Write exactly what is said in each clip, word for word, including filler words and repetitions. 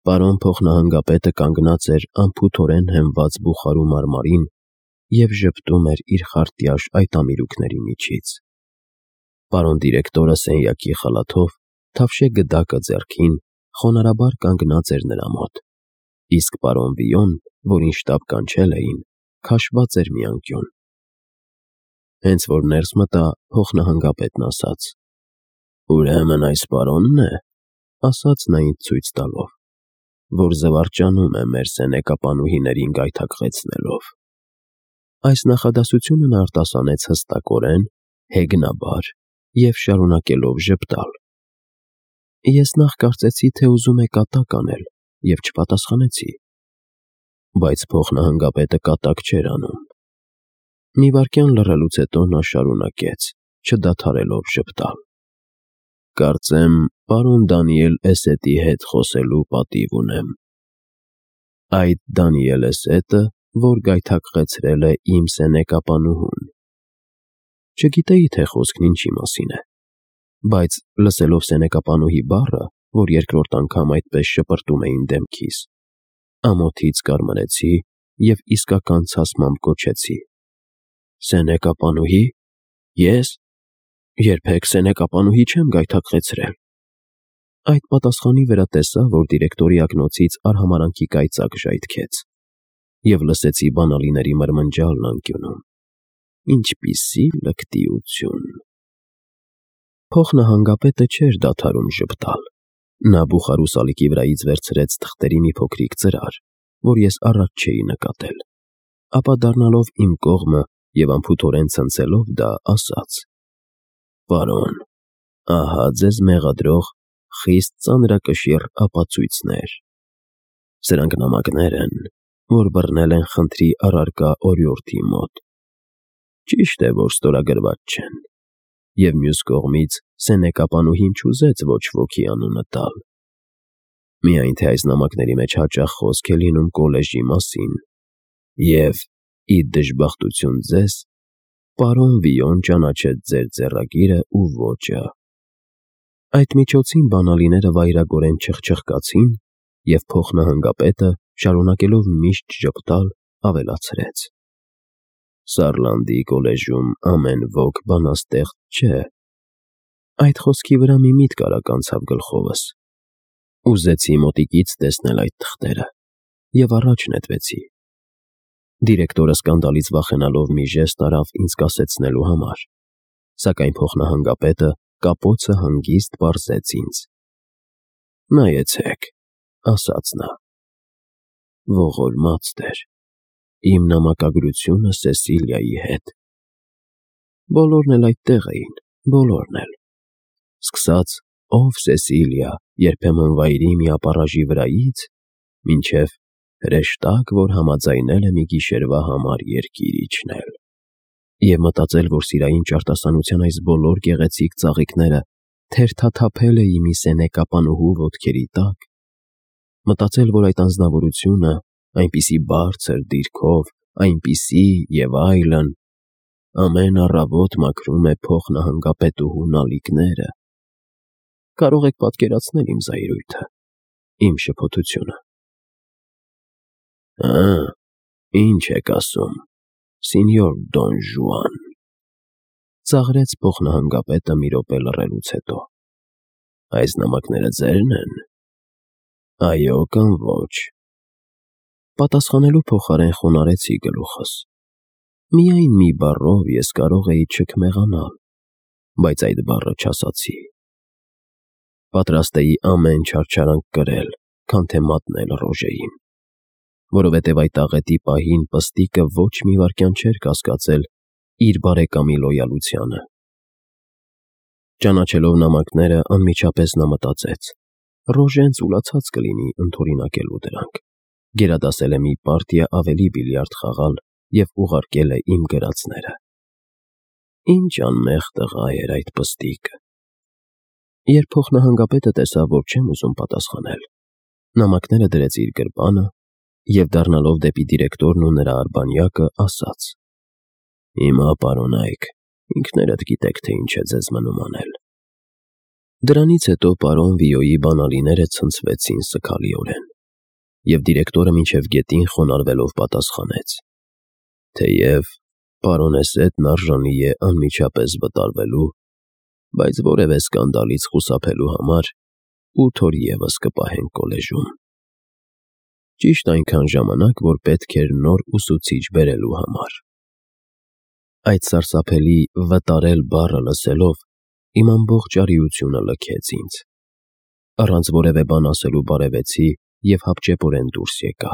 Պարոն փոխնահանգապետը կանգնած էր անփութորեն հենված բուխարու մարմարին և ժպտում էր իր խարտյաշ այտամիրուքների միջից։ Պարոն դիրեկտորը սենյակի խալաթով, թավշե գդակը ձեռքին, խոնարհաբար կանգնած էր նրա մոտ, իսկ պարոն Վիոն, որին շտապ կանչել էին, քաշված էր մի անկյուն։ Հենց որ ներս մտա, փոխնահանգապետն ասաց. «Ուրեմն այս պարոնն է», ասաց նա ինձ ցույց տալով, «որ զվարճանում է մեր սենեկապանուհիներին գայթակղեցնելով»։ Այս նախադասությունը նա արտասանեց հստակորեն, հեգնաբար և շարունակելով ժպտալ։ Ես նախ կարծեցի, թե ուզում է կատակ անել և չպատասխանեցի, բայց փոխնահանգապետը կատակ չէր անում։ Մի վայրկյան լռելուց հետո նա շարունակեց, չդադարելով ժպտալ. «Կարծեմ, պարոն Դանիել Էսետի հետ խոսելու պատիվ ունեմ։ Այդ Դանիել Էսետը, որ գայթակղեցրել է իմ սենեկապանուհուն»։ Չգիտեի, թե խոսքն ինչի մասին է, բայց լսելով սենեկապանուհի բառը, որ երկրորդ անգամ այդպես շպրտում էին դեմքիս, ամոթից կարմրեցի և իսկական ցասմամբ կոչեցի. «Սենեկապանուհի… Ե՞ս… Երբեք սենեկապանուհի չեմ գայթակղեցրել»։ Այդ պատասխանի վրա տեսա, որ դիրեկտորի ակնոցից արհամարհանքի կայծակ ժայթքեց, և լսեցի բանալիների մրմնջալն անկյունում։ Ինչպիսի լկտիություն… Փոխնահանգապետը չէր դադարում ժպտալ։ Նա բուխարու սալիկի վրայից վերցրեց թղթերի մի փոքրիկ ծրար, որ ես առաջ չէի նկատել, ապա դառնալով իմ կողմը և անփութորեն ցնցելով դա, ասաց. «Պարոն, ահա ձեզ մեղադրող խիստ ծանրակշիռ ապացույցներ։ Սրանք նամակներ են, որ բռնել են խնդրի առարկա օրիորդի մոտ։ Ճիշտ է, որ ստորագրված չեն, և մյուս կողմից սենեկապանուհին չուզեց ոչ ոքի անունը տալ։ Միայն թե այս նամակների մեջ հաճախ խոսք է լինում կոլեժի մասին, և, ի դժբախտություն ձեզ, պարոն Վիոն ճանաչեց ձեր ձեռագիրը ու ոճը»։ Այդ միջոցին բանալիները վայրագորեն չխչխկացին, և փոխնահանգապետը, շարունակելով միշտ ժպտալ, ավելացրեց. «Սարլանդի կոլեժում ամեն ոք բանաստեղծ չէ»։ Այդ խոսքի վրա մի միտք արագ անցավ գլխովս։ Ուզեցի մոտիկից տեսնել այդ թղթերը և առաջ նետվեցի։ Դիրեկտորը սկանդալից վախենալով մի ժեստ արավ ինձ կասեցնելու համար, սակայն փոխնահանգապետը կապոցը հանգիստ պարզեց ինձ։ «Նայեցեք», ասաց նա։ Ողորմած Տեր, իմ նամակագրությունը Սեսիլիայի հետ։ Բոլորն էլ այդտեղ էին, բոլորն էլ, սկսած «Ով Սեսիլիա, երբեմն վայրի մի ապառաժի վրայից» մինչև «հրեշտակ, որ համաձայնել է մի գիշերվա համար երկիր իջնել»։ Եվ մտածել, որ սիրային ճարտասանության այս բոլոր գեղեցիկ ծաղիկները թերթաթափել էի մի սենեկապանուհու ոտքերի տակ, մտածել, որ այդ անձնավորությունը, այնպիսի բարձր դիրքով, այնպիսի և այլն, ամեն առավոտ մաքրում է փոխնահանգապետուհու նալիկները… Կարող եք պատկերացնել իմ զայրույթը, իմ շփոթությունը։ «Հը, ի՞նչ եք ասում, Սինյոր Դոն Ժուան», ծաղրեց փոխնահանգապետը մի րոպե լռելուց հետո։ «Այս նամակները ձե՞րն են»։ «Այո» կամ «ոչ»։ Պատասխանելու փոխարեն խոնարհեցի գլուխս։ Միայն մի բառով ես կարող էի չքմեղանալ, բայց այդ բառը չասացի։ Պատրաստ էի ամեն չարչարանք կրել, քան թե մատնել Ռոժեին, որովհետև այդ աղետի պահին պստիկը ոչ մի վայրկյան չէր կասկածել իր բարեկամի լոյալությանը։ Ճանաչելով նամակները, անմիջապես նա մտածեց. Ռոժեն ծուլացած կլինի ընդօրինակելու դրանք, գերադասել է մի պարտիա ավելի բիլիարդ խաղալ և ուղարկել է իմ գրածները։ Ինչ անմեղ տղա էր այդ պստիկը։ Երբ փոխնահանգապետը տեսավ, որ չեմ ուզում պատասխանել, նամակները դրեց իր գրպանը և, դառնալով դեպի դիրեկտորն ու նրա արբանյակը, ասաց. «Հիմա, պարոնայք, ինքներդ գիտեք, թե ինչ է ձեզ մնում անել»։ Դրանից հետո պարոն Վիոյի բանալիները ցնցվեցին սգալիորեն։ և դիրեկտորը մինչև գետին խոնարհվելով պատասխանեց. «Թեև պարոնեսետն արժանի է անմիջապես վտարվելու, բայց որևէ սկանդալից խուսափելու համար ութ օր ևս կպահենք կոլեժում։ Ճիշտ այնքան ժամանակ, որ պետք էր նոր ուսուցիչ բերելու համար»։ Այդ սարսափելի «վտարել» բառը լսելով, իմ ամբողջ արիությունը լքեց ինձ։ Առանց որևէ բան ասելու բարևեցի և հապճեպորեն դուրս եկա։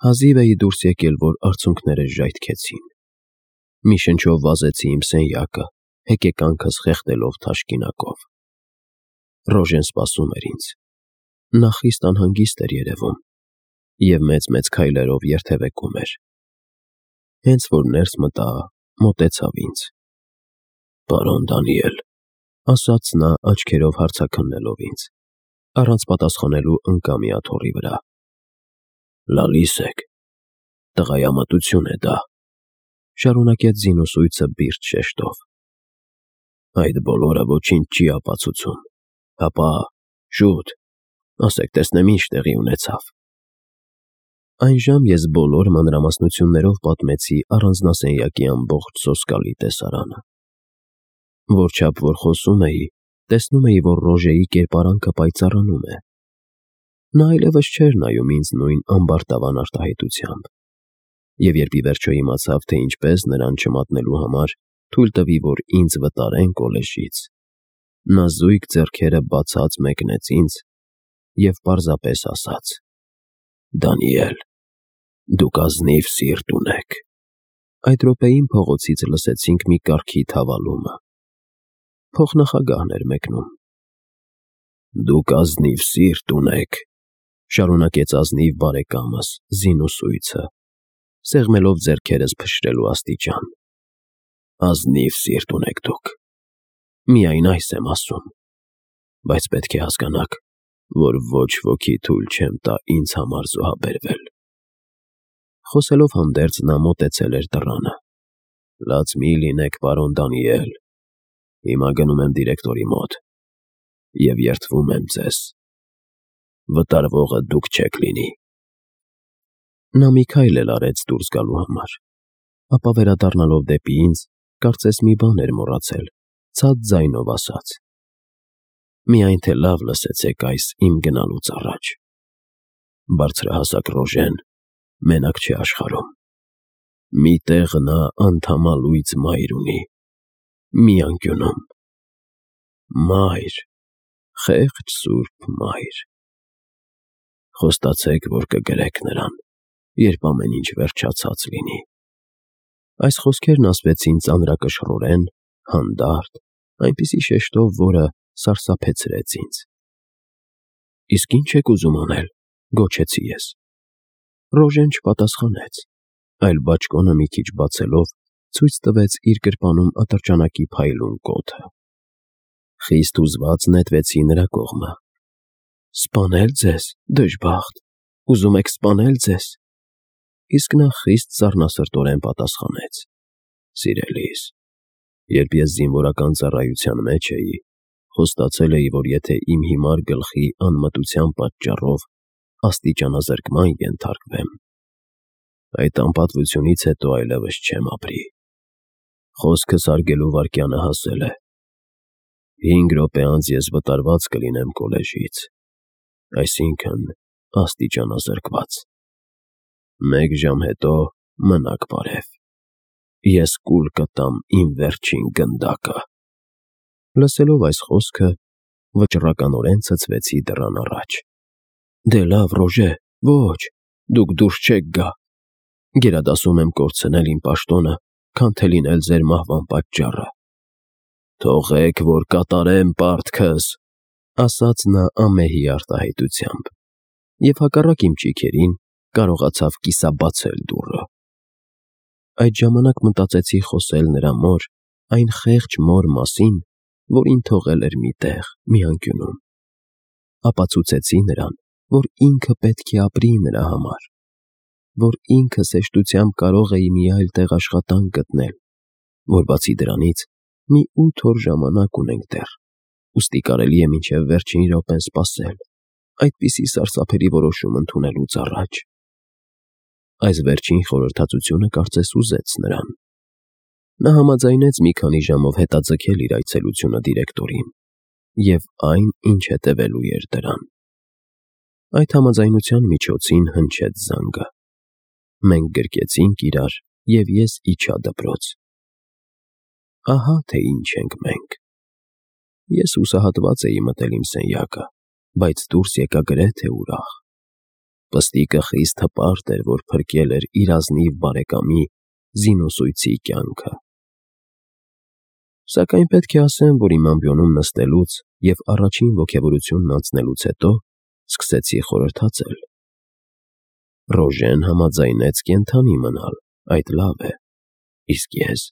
Հազիվ էի դուրս եկել, որ արցունքներս ժայթքեցին։ Մի շնչով վազեցի իմ սենյակը, հեկեկանքս խեղդելով թաշկինակով։ Ռոժեն սպասում էր ինձ։ Նա խիստ անհանգիստ էր երևում և մեծ-մեծ քայլերով երթևեկում էր։ Հենց որ ներս մտա, մոտեցավ ինձ. «Պարոն Դանիել», ասաց նա աչքերով հարցաքննելով ինձ, առանց պատասխանելու ընկա մի աթոռի վրա։ «Լալիս եք, տղայամտություն է դա», շարունակեց զինուսույցը բիրտ շեշտով։ «Այդ բոլորը ոչինչ չի ապացուցում, հապա, շուտ, ասեք տեսնեմ ինչ տեղի ունեցավ»։ Այնժամ ես բոլոր մանրամասնություններով պատմեցի առանձնասենյակի ամբողջ սոսկալի տեսարանը։ Որչափ որ խոսում էի, տեսնում էի, որ Ռոժեի կերպարանքը պայծառանում է։ Նա այլևս չէր նայում ինձ նույն ամբարտավան արտահայտությամբ, և երբ ի վերջո իմացավ, թե ինչպես նրան չմատնելու համար թույլ տվի, որ ինձ վտարեն կոլեժից, նա զույգ ձեռքերը բացած մեկնեց ինձ և պարզապես ասաց. «Դանիել, դուք ազնիվ սիրտ ունեք»։ Այդ րոպեին փողոցից լսեցինք մի կառքի թավալումը։ Փոխնախագահն էր մեկնում։ «Դուք ազնիվ սիրտ ունեք», շարունակեց ազնիվ բարեկամս, զինուսույցը, սեղմելով ձեռքերս փշրելու աստիճան։ «Ազնիվ սիրտ ունեք դուք։ Միայն այս եմ ասում, բայց պետք է հասկանաք, որ ոչ ոքի թույլ չեմ տա ինձ համար զոհաբերվել»։ Խոսելով հանդերձ նա մոտեցել էր դռանը։ «Լաց մի լինեք, պարոն Դանիել, հիմա գնում եմ դիրեկտորի մոտ և երդվում եմ ձեզ, վտարվողը դուք չեք լինի»։ Նա մի քայլ էլ արեց դուրս գալու համար, ապա վերադառնալով դեպի ինձ, կարծես մի բան էր մոռացել, ցած ձայնով ասաց. «Միայն թե լավ լսեցեք այս իմ գնալուց առաջ. բարձրահասակ Ռոժեն մենակ չէ աշխարհում։ Մի տեղ նա անդամալույծ մայր ունի, մի անկյունում։ Մայր, խեղճ սուրբ մայր։ Խոստացեք, որ կգրեք նրան, երբ ամեն ինչ վերջացած լինի»։ Այս խոսքերն ասվեցին ծանրակշռորեն, հանդարտ, այնպիսի շեշտով, որը սարսափեցրեց ինձ։ «Իսկ ի՞նչ եք ուզում անել», գոչեցի ես։ Ռոժեն չպատասխանեց, այլ բաճկոնը մի քիչ բացելով, ցույց տվեց իր գրպանում ատրճանակի փայլուն կոթը։ Խիստ հուզված նետվեցի նրա կողմը։ «Սպանել ձեզ, դժբախտ, ուզում եք սպանել ձեզ»։ Իսկ նա խիստ սառնասրտորեն պատասխանեց. «Սիրելիս, երբ ես զինվորական ծառայության մեջ էի, խոստացել էի, որ եթե իմ հիմար գլխի անմտության պատճառով աստիճանազրկման ենթարկվեմ, այդ անպատվությունից հետո այլևս չեմ ապրի։ Խոսքս հարգելու վայրկյանը հասել է։ Հինգ րոպե անց ես վտարված կլինեմ կոլեժից, այսինքն աստիճանազրկված։ Մեկ ժամ հետո մնաք բարև։ Ես կուլ կտամ իմ վերջին գնդակը»։ Լսելով այս խոսքը, վճռականորեն ցցվեցի դռան առաջ։ «Դե լավ, Ռոժե, ոչ, դուք դուրս չեք գա։ Գերադասում եմ կորցնել իմ պաշտոնը, քան թե լինել ձեր մահվան պատճառը»։ «Թողեք, որ կատարեմ պարտքս», ասաց նա ամեհի արտահայտությամբ, և հակառակ իմ ճիգերին կարողացավ կիսաբացել դուռը։ Այդ ժամանակ մտածեցի խոսել նրա մոր, այն խեղճ մոր մասին, որին թողել էր մի տեղ, մի անկյունում։ Ապացուցեցի նրան, որ ինքը պետք է ապրի նրա համար, որ ինքս հեշտությամբ կարող էի մի այլ տեղ աշխատանք գտնել, որ բացի դրանից մի ութ օր ժամանակ ունենք դեռ, ուստի կարելի է մինչև վերջին րոպեն սպասել, այդպիսի սարսափելի որոշում ընդունելուց առաջ։ Այս վերջին խորհրդածությունը կարծես ուզեց նրան։ Նա համաձայնեց մի քանի ժամով հետաձգել իր այցելությունը դիրեկտորին և այն, ինչ հետևելու էր դրան։ Այդ համաձայնության միջոցին հնչեց զանգը։ Մենք գրկեցինք իրար, և ես իջա դպրոց։ Ահա թե ինչ ենք մենք։ Ես հուսահատված էի մտել իմ սենյակը, բայց դուրս եկա գրեթե ուրախ։ Պստիկը խիստ հպարտ էր, որ փրկել էր իր ազնիվ բարեկամի զինուսույցի կյանքը։ Սակայն պետք է ասեմ, որ իմ ամբիոնում նստելուց և առաջին ոգևորությունն անցնելուց հետո սկսեցի խորհրդածել։ Ռոժեն համաձայնեց կենդանի մնալ, այդ լավ է, իսկ ես…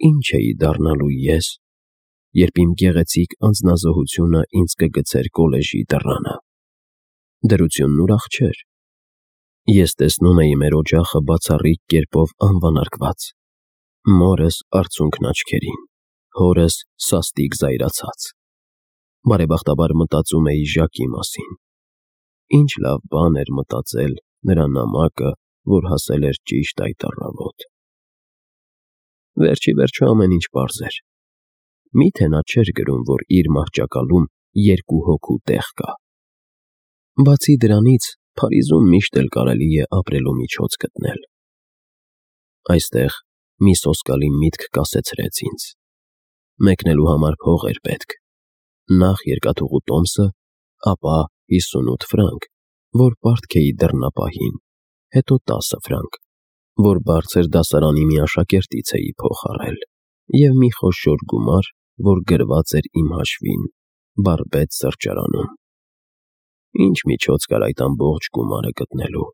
Ինչ էի դառնալու ես, երբ իմ գեղեցիկ անձնազոհությունը ինձ կգցեր կոլեժի դռանը։ Դրությունն ուրախ չէր։ Ես տեսնում էի մեր օջախը բացառիկ կերպով անվանարկված, մորս արցունքն աչքերին, հորս սաստիկ զայրացած։ Բարեբախտաբար մտածում էի Ժակի մասին։ Ինչ լավ բան էր մտածել նրա նամակը, որ հասել էր ճիշտ այդ առավոտ։ Վերջ ի վերջո ամեն ինչ պարզ էր։ Մի՞թե նա չէր գրում, որ իր մահճակալում երկու հոգու տեղ կա։ Բացի դրանից, Փարիզում միշտ էլ կարելի է ապրելու միջոց գտնել։ Այստեղ մի սոսկալի միտք կասեցրեց ինձ։ Մեկնելու համար փող էր պետք։ Նախ երկաթուղու տոմսը, ապա հիսունութ ֆրանկ, որ պարտք էի դռնապահին, հետո տասը ֆրանկ, որ բարձր դասարանի մի աշակերտից էի փոխառել, և մի խոշոր գումար, որ գրված էր իմ հաշվին Բարբետ սրճարանում։ Ինչ միջոց կար այդ ամբողջ գումարը գտնելու։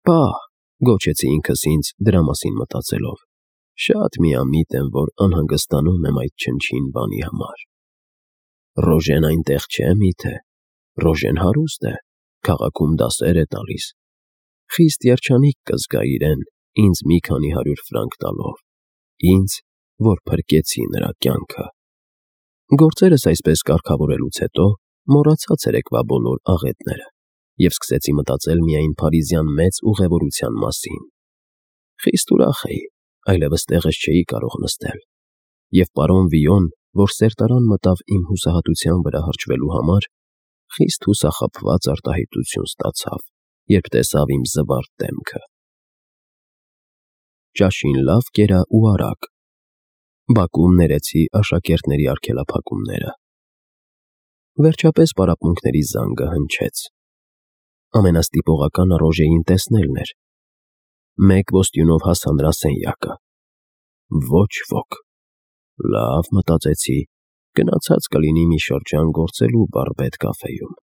Պահ, գոչեցի ինքս ինձ դրա մասին մտածելով, շատ միամիտ եմ, որ անհանգստանում եմ այդ չնչին բանի համար։ Ռոժեն այնտեղ չէ միթե։ Ռոժեն հարուստ է, քաղաքում դասեր է տալիս։ Խիստ երջանիկ կզգա իրեն ինձ մի քանի հարյուր ֆրանկ տալով, ինձ, որ փրկեցի նրա կյանքը։ Գործերս այսպես կարգավորելուց հետո մոռացա ցերեկվա բոլոր աղետները և սկսեցի մտածել միայն փարիզյան մեծ ուղևորության մասին։ Խիստ ուրախ էի, այլևս տեղս չէի կարող նստել, և պարոն Վիոն, որ սերտարան մտավ իմ հուսահատության վրա հրճվելու համար, խիստ հուսախաբված արտահայտություն ստացավ, երբ տեսավ իմ զվարթ դեմքը։ Ճաշին լավ կերա ու արագ։ Բակում ներեցի աշակերտների արգելափակումները։ Վերջապես պարապմունքների զանգը հնչեց։ Ամենաստիպողականը Ռոժեին տեսնելն էր։ Մեկ ոստյունով հասա նրա սենյակը։ Ոչ ոք։ Լավ, մտածեցի, գնացած կլինի մի շրջան գործելու Բարբետ կաֆեում։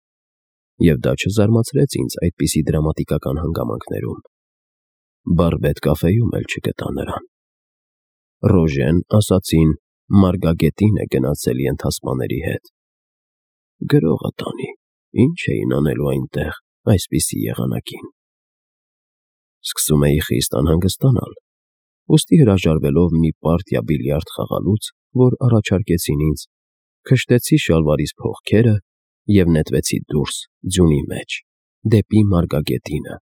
Եվ դա չզարմացրեց ինձ այդպիսի դրամատիկական հանգամանքներում։ Բարբետ կաֆեում էլ չգտա նրան։ Ռոժեն, ասացին, Մարգագետին է գնացել ենթասպաների հետ։ Գրողը տանի, ինչ էին անելու այնտեղ այսպիսի եղանակին։ Սկսում էի խիստ անհանգստանալ, ուստի հրաժարվելով մի պարտիա բիլիարդ խաղալուց, որ առաջարկեցին ինձ, քշտեցի շալվարիս փողքերը և նետվեցի դուրս ձյունի մեջ, դեպի Մարգագետինը,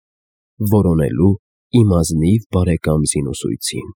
որոնելու իմ ազնիվ բարեկամ զինուսույցին։